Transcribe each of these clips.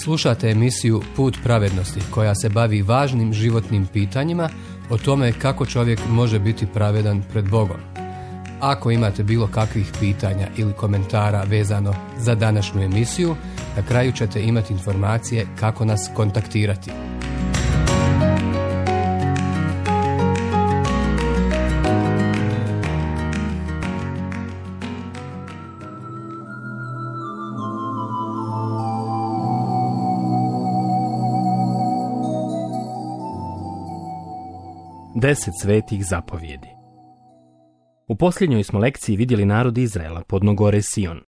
Slušate emisiju Put pravednosti koja se bavi važnim životnim pitanjima o tome kako čovjek može biti pravedan pred Bogom. Ako imate bilo kakvih pitanja ili komentara vezano za današnju emisiju, na kraju ćete imati informacije kako nas kontaktirati. Deset svetih zapovjedi. U posljednjoj smo lekciji vidjeli narod Izraela podno gore Sion.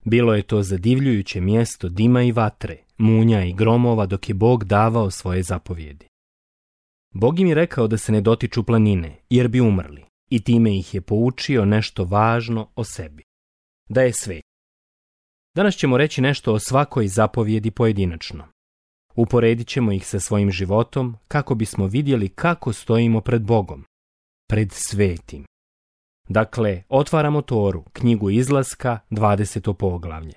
Bilo je to zadivljujuće mjesto dima i vatre, munja i gromova dok je Bog davao svoje zapovjedi. Bog im je rekao da se ne dotiču planine, jer bi umrli, i time ih je poučio nešto važno o sebi. Da je svet. Danas ćemo reći nešto o svakoj zapovjedi pojedinačno. Uporedit ćemo ih sa svojim životom kako bismo vidjeli kako stojimo pred Bogom, pred svetim. Dakle, otvaramo Toru, knjigu Izlaska, 20. poglavlje.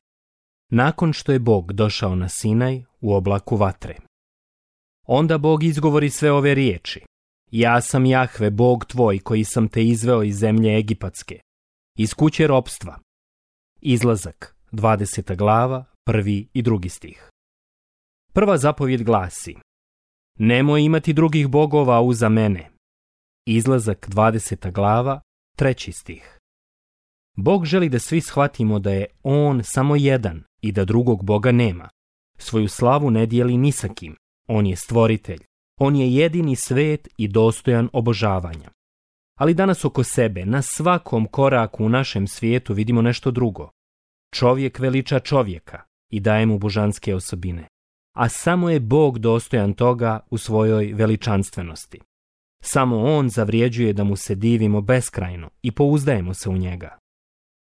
Nakon što je Bog došao na Sinaj u oblaku vatre. Onda Bog izgovori sve ove riječi. Ja sam Jahve, Bog tvoj, koji sam te izveo iz zemlje Egipatske, iz kuće ropstva. Izlazak, 20. glava, 1. i 2. stih. Prva zapovjed glasi: nemoj imati drugih bogova uza mene. Izlazak, 20. glava, 3. stih. Bog želi da svi shvatimo da je On samo jedan i da drugog Boga nema. Svoju slavu ne dijeli ni sa kim. On je stvoritelj. On je jedini svet i dostojan obožavanja. Ali danas oko sebe, na svakom koraku u našem svijetu vidimo nešto drugo. Čovjek veliča čovjeka i daje mu božanske osobine. A samo je Bog dostojan toga u svojoj veličanstvenosti. Samo On zavrijeđuje da mu se divimo beskrajno i pouzdajemo se u njega.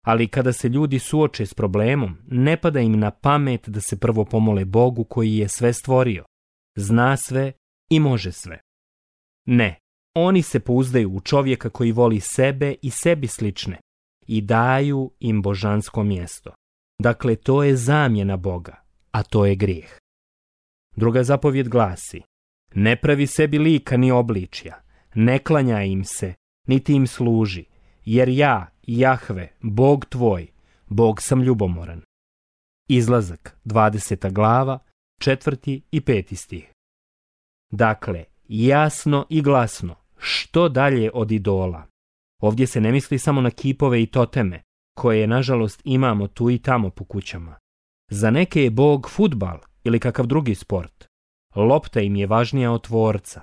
Ali kada se ljudi suoče s problemom, ne pada im na pamet da se prvo pomole Bogu koji je sve stvorio, zna sve i može sve. Ne, oni se pouzdaju u čovjeka koji voli sebe i sebi slične i daju im božansko mjesto. Dakle, to je zamjena Boga, a to je grijeh. Druga zapovjed glasi: ne pravi sebi lika ni obličja, ne klanjaj im se, niti im služi, jer ja, Jahve, Bog tvoj, Bog sam ljubomoran. Izlazak, 20. glava, 4. i 5. stih. Dakle, jasno i glasno, što dalje od idola. Ovdje se ne misli samo na kipove i toteme, koje nažalost imamo tu i tamo po kućama. Za neke je Bog fudbal ili kakav drugi sport. Lopta im je važnija od tvorca.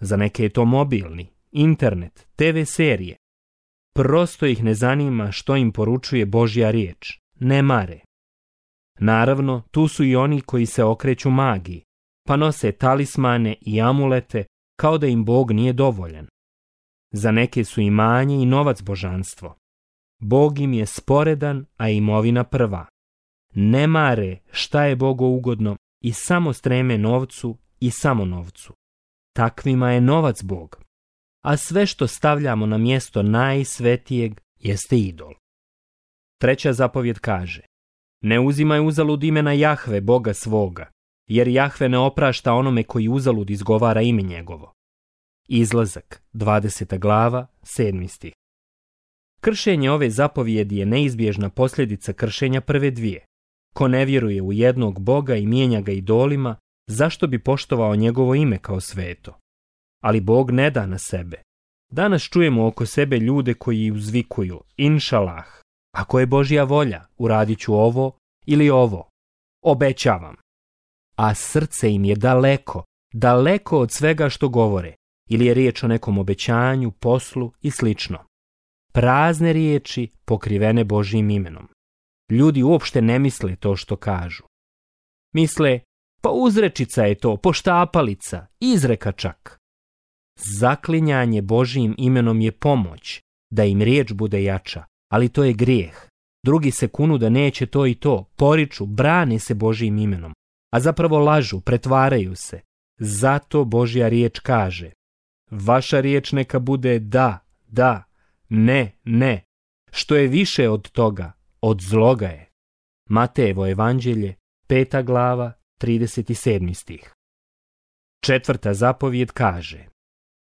Za neke je to mobilni, internet, TV serije. Prosto ih ne zanima što im poručuje Božja riječ. Ne mare. Naravno, tu su i oni koji se okreću magiji, pa nose talismane i amulete kao da im Bog nije dovoljan. Za neke su imanje i novac božanstvo. Bog im je sporedan, a imovina prva. Ne mare šta je Bogu ugodno i samo streme novcu i samo novcu. Takvima je novac Bog, a sve što stavljamo na mjesto najsvetijeg jeste idol. Treća zapovjed kaže: ne uzimaj uzalud imena Jahve, Boga svoga, jer Jahve ne oprašta onome koji uzalud izgovara ime njegovo. Izlazak, 20. glava, 7. stih. Kršenje ove zapovjedi je neizbježna posljedica kršenja prve dvije. Ko ne vjeruje u jednog Boga i mijenja ga idolima, zašto bi poštovao njegovo ime kao sveto? Ali Bog ne da na sebe. Danas čujemo oko sebe ljude koji uzvikuju: inšalah, ako je Božja volja, uradit ću ovo ili ovo. Obećavam. A srce im je daleko, daleko od svega što govore, ili je riječ o nekom obećanju, poslu i slično. Prazne riječi pokrivene Božjim imenom. Ljudi uopšte ne misle to što kažu. Misle: pa uzrečica je to, poštapalica, izreka čak. Zaklinjanje Božjim imenom je pomoć, da im riječ bude jača, ali to je grijeh. Drugi se kunu da neće to i to, poriču, brane se Božjim imenom, a zapravo lažu, pretvaraju se. Zato Božja riječ kaže: vaša riječ neka bude da, da, ne, ne. Što je više od toga, od zloga je. Matejevo evanđelje, 5. glava, 37. stih. 4. zapovijed kaže: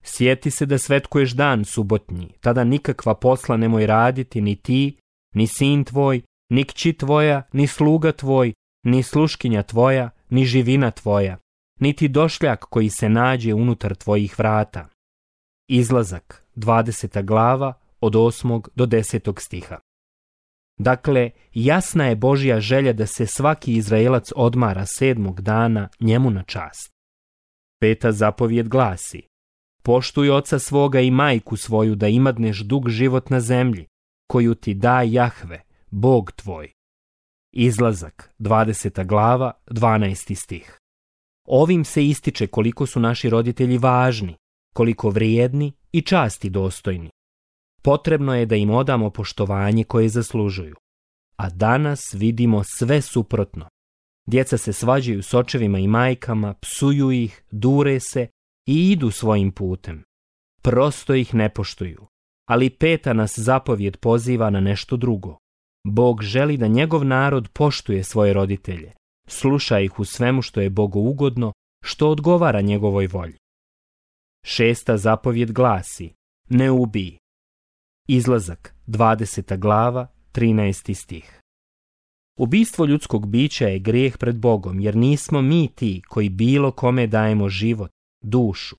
sjeti se da svetkuješ dan subotnji, tada nikakva posla nemoj raditi ni ti, ni sin tvoj, ni kći tvoja, ni sluga tvoj, ni sluškinja tvoja, ni živina tvoja, niti došljak koji se nađe unutar tvojih vrata. Izlazak, 20. glava, od 8. do 10. stiha. Dakle, jasna je Božja želja da se svaki Izraelac odmara 7. dana njemu na čast. 5. zapovijed glasi: poštuj oca svoga i majku svoju da imadneš dug život na zemlji, koju ti da Jahve, Bog tvoj. Izlazak, 20. glava, 12. stih. Ovim se ističe koliko su naši roditelji važni, koliko vrijedni i časti dostojni. Potrebno je da im odamo poštovanje koje zaslužuju. A danas vidimo sve suprotno. Djeca se svađaju s očevima i majkama, psuju ih, dure se i idu svojim putem. Prosto ih ne poštuju. Ali 5. nas zapovijed poziva na nešto drugo. Bog želi da njegov narod poštuje svoje roditelje, sluša ih u svemu što je Bogu ugodno, što odgovara njegovoj volji. 6. zapovijed glasi: ne ubij. Izlazak, 20. glava, 13. stih. Ubistvo ljudskog bića je grijeh pred Bogom, jer nismo mi ti koji bilo kome dajemo život, dušu.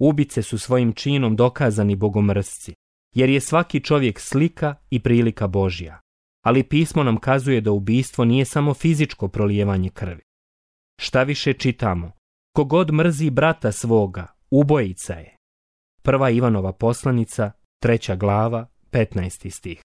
Ubice su svojim činom dokazani bogomrsci, jer je svaki čovjek slika i prilika Božja. Ali pismo nam kazuje da ubistvo nije samo fizičko prolijevanje krvi. Šta više čitamo: kogod mrzi brata svoga, ubojica je. 1. Ivanova poslanica, 3. glava, 15. stih.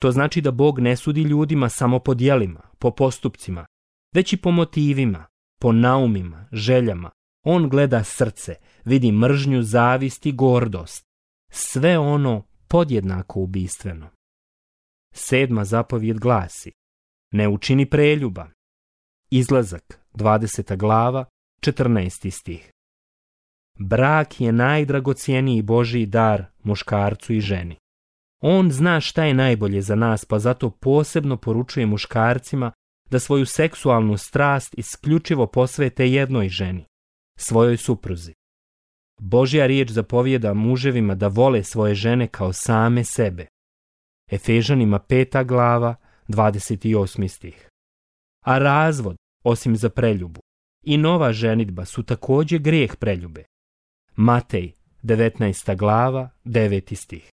To znači da Bog ne sudi ljudima samo po djelima, po postupcima, već i po motivima, po naumima, željama. On gleda srce, vidi mržnju, zavist i gordost. Sve ono podjednako ubistveno. 7. zapovijed glasi: ne učini preljuba. Izlazak, 20. glava, 14. stih. Brak je najdragocjeniji Božji dar muškarcu i ženi. On zna šta je najbolje za nas, pa zato posebno poručuje muškarcima da svoju seksualnu strast isključivo posvete jednoj ženi, svojoj supruzi. Božja riječ zapovijeda muževima da vole svoje žene kao same sebe. Efežanima 5. glava, 28. stih. A razvod, osim za preljubu, i nova ženidba su također grijeh preljube. Matej, 19. glava, 9. stih.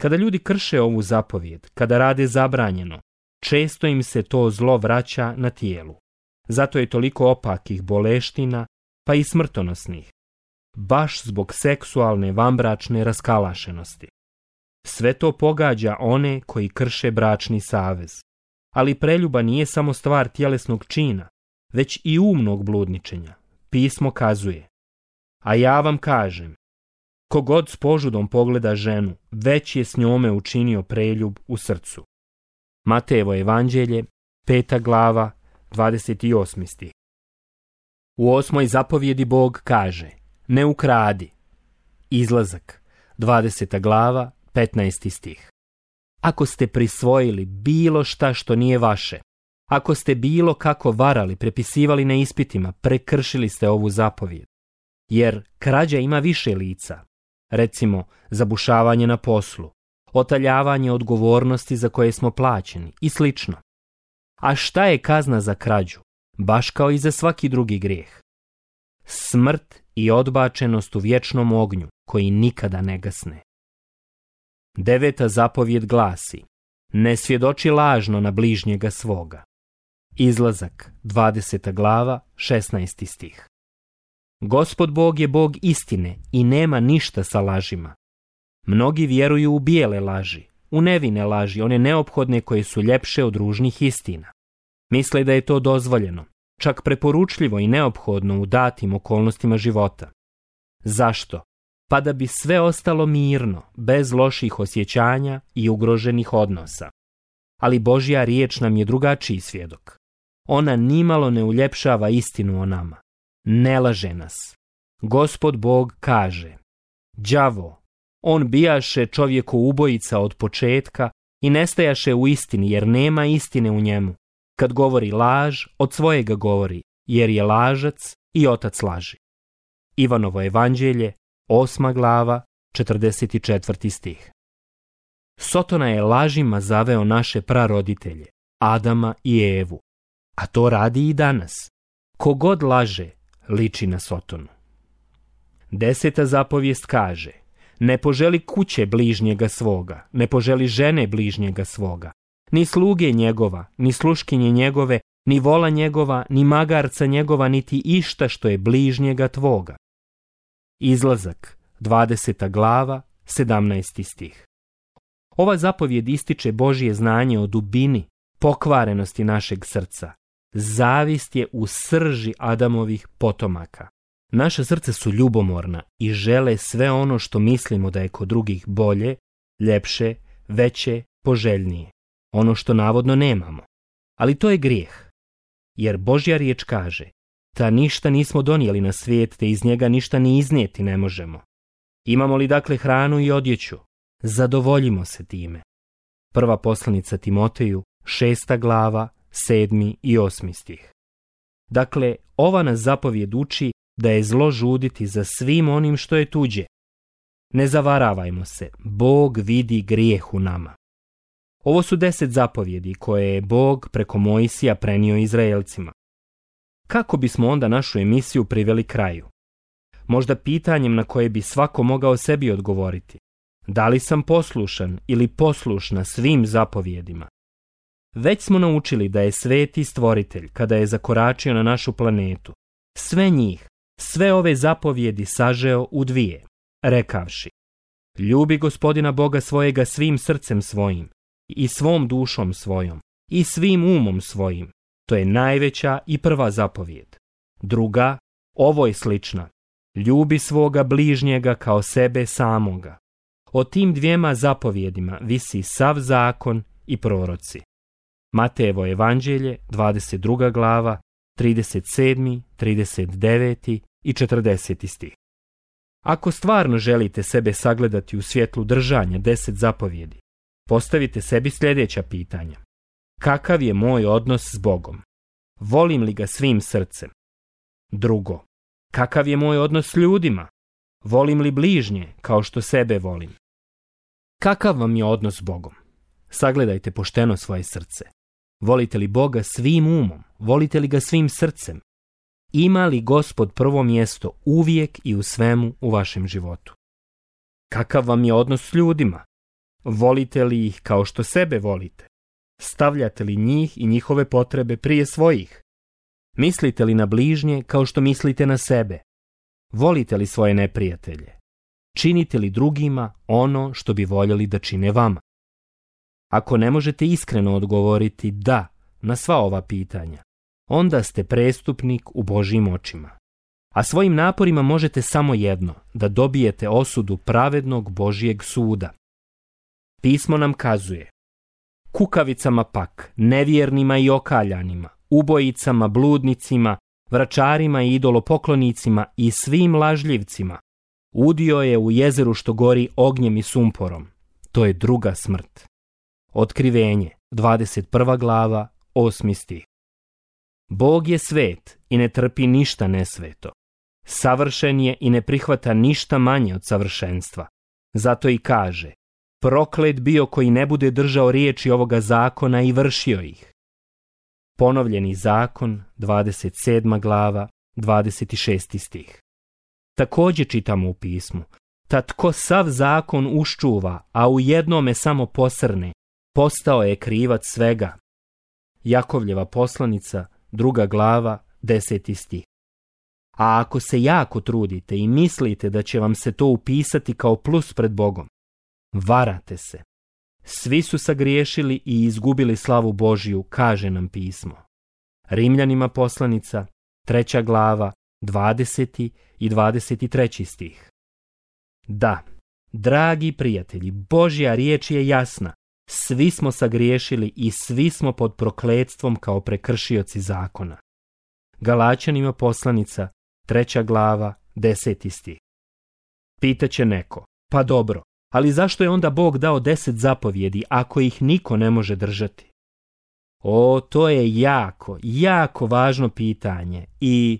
Kada ljudi krše ovu zapovijed, kada rade zabranjeno, često im se to zlo vraća na tijelu. Zato je toliko opakih boleština, pa i smrtonosnih. Baš zbog seksualne vanbračne raskalašenosti. Sve to pogađa one koji krše bračni savez. Ali preljuba nije samo stvar tjelesnog čina, već i umnog bludničenja. Pismo kazuje: a ja vam kažem, kogod s požudom pogleda ženu, već je s njome učinio preljub u srcu. Matejevo evanđelje, 5. glava, 28. stih. U 8. zapovjedi Bog kaže: ne ukradi. Izlazak, 20. glava, 15. stih. Ako ste prisvojili bilo šta što nije vaše, ako ste bilo kako varali, prepisivali na ispitima, prekršili ste ovu zapovijed. Jer krađa ima više lica, recimo zabušavanje na poslu, otaljavanje odgovornosti za koje smo plaćeni i slično. A šta je kazna za krađu? Baš kao i za svaki drugi grijeh. Smrt i odbačenost u vječnom ognju koji nikada ne gasne. 9. zapovijed glasi: ne svjedoči lažno na bližnjega svoga. Izlazak, 20. glava, 16. stih. Gospod Bog je Bog istine i nema ništa sa lažima. Mnogi vjeruju u bijele laži, u nevine laži, one neophodne koje su ljepše od ružnih istina. Misle da je to dozvoljeno, čak preporučljivo i neophodno u datim okolnostima života. Zašto? Pa da bi sve ostalo mirno, bez loših osjećanja i ugroženih odnosa. Ali Božja riječ nam je drugačiji svjedok. Ona nimalo ne uljepšava istinu o nama. Ne laže nas. Gospod Bog kaže: đavo, on bijaše čovjeku ubojica od početka i nestajaše u istini, jer nema istine u njemu. Kad govori laž, od svojega govori, jer je lažac i otac laži. Ivanovo evanđelje, 8. glava, 44. stih. Sotona je lažima zaveo naše praroditelje, Adama i Evu, a to radi i danas. Kogod laže, liči na Sotonu. 10. zapovijest kaže: ne poželi kuće bližnjega svoga, ne poželi žene bližnjega svoga, ni sluge njegova, ni sluškinje njegove, ni vola njegova, ni magarca njegova, niti išta što je bližnjega tvoga. Izlazak, 20. glava, 17. stih. Ova zapovjed ističe Božje znanje o dubini, pokvarenosti našeg srca. Zavist je u srži Adamovih potomaka. Naša srca su ljubomorna i žele sve ono što mislimo da je kod drugih bolje, ljepše, veće, poželjnije. Ono što navodno nemamo. Ali to je grijeh. Jer Božja riječ kaže: ta ništa nismo donijeli na svijet, te iz njega ništa ni iznijeti ne možemo. Imamo li dakle hranu i odjeću? Zadovoljimo se time. Prva poslanica Timoteju, 6. glava, 7. i 8. stih. Dakle, ova nas zapovjed uči da je zlo žuditi za svim onim što je tuđe. Ne zavaravajmo se, Bog vidi grijeh u nama. Ovo su 10 zapovjedi koje je Bog preko Mojsija prenio Izraelcima. Kako bismo onda našu emisiju priveli kraju? Možda pitanjem na koje bi svako mogao sebi odgovoriti. Da li sam poslušan ili poslušna svim zapovjedima? Već smo naučili da je sveti stvoritelj, kada je zakoračio na našu planetu, sve njih, sve ove zapovjedi sažeo u 2, rekavši: ljubi Gospodina Boga svojega svim srcem svojim, i svom dušom svojom, i svim umom svojim. To je najveća i prva zapovjed. Druga, ovoj slična: ljubi svoga bližnjega kao sebe samoga. O tim 2 zapovjedima visi sav zakon i proroci. Matejevo evanđelje, 22. glava, 37., 39. i 40. stih. Ako stvarno želite sebe sagledati u svjetlu držanja 10 zapovjedi, postavite sebi sljedeća pitanja. Kakav je moj odnos s Bogom? Volim li ga svim srcem? Drugo, kakav je moj odnos s ljudima? Volim li bližnje kao što sebe volim? Kakav vam je odnos s Bogom? Sagledajte pošteno svoje srce. Volite li Boga svim umom? Volite li ga svim srcem? Ima li Gospod prvo mjesto uvijek i u svemu u vašem životu? Kakav vam je odnos s ljudima? Volite li ih kao što sebe volite? Stavljate li njih i njihove potrebe prije svojih? Mislite li na bližnje kao što mislite na sebe? Volite li svoje neprijatelje? Činite li drugima ono što bi voljeli da čine vama? Ako ne možete iskreno odgovoriti da na sva ova pitanja, onda ste prestupnik u Božjim očima. A svojim naporima možete samo jedno, da dobijete osudu pravednog Božjeg suda. Pismo nam kazuje: kukavicama pak, nevjernima i okaljanima, ubojicama, bludnicima, vračarima i idolopoklonicima i svim lažljivcima udio je u jezeru što gori ognjem i sumporom. To je druga smrt. Otkrivenje, 21. glava, 8. stih. Bog je svet i ne trpi ništa nesveto. Savršen je i ne prihvata ništa manje od savršenstva. Zato i kaže: proklet bio koji ne bude držao riječi ovoga zakona i vršio ih. Ponovljeni zakon, 27. glava, 26. stih. Također čitamo u pismu: ta tko sav zakon uščuva, a u jednome samo posrne, postao je krivac svega. Jakovljeva poslanica, 2. glava, 10. stih. A ako se jako trudite i mislite da će vam se to upisati kao plus pred Bogom, varate se. Svi su sagriješili i izgubili slavu Božju, kaže nam pismo. Rimljanima poslanica, 3. glava, 20. i 23. stih. Da, dragi prijatelji, Božja riječ je jasna. Svi smo sagriješili i svi smo pod prokletstvom kao prekršioci zakona. Galačanima poslanica, 3. glava, 10. stih. Pitaće neko: pa dobro, ali zašto je onda Bog dao 10 zapovjedi ako ih niko ne može držati? To je jako važno pitanje i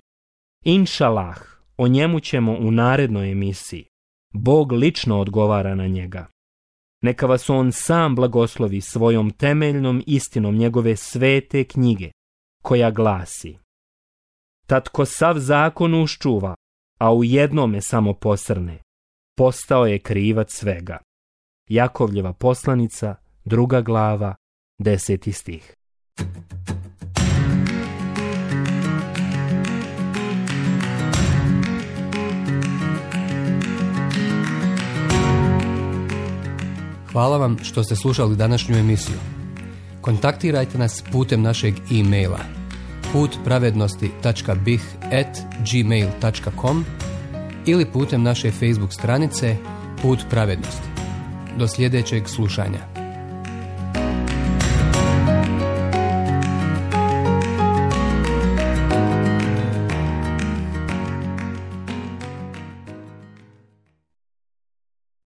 inšalah, o njemu ćemo u narednoj emisiji. Bog lično odgovara na njega. Neka vas on sam blagoslovi svojom temeljnom istinom njegove svete knjige, koja glasi: Tatko sav zakon uščuva, a u jednome samo posrne, postao je krivac svega. Jakovljeva poslanica, 2. glava, 10. stih. Hvala vam što ste slušali današnju emisiju. Kontaktirajte nas putem našeg e-maila putpravednosti.bih@gmail.com ili putem naše Facebook stranice Put pravednosti. Do sljedećeg slušanja.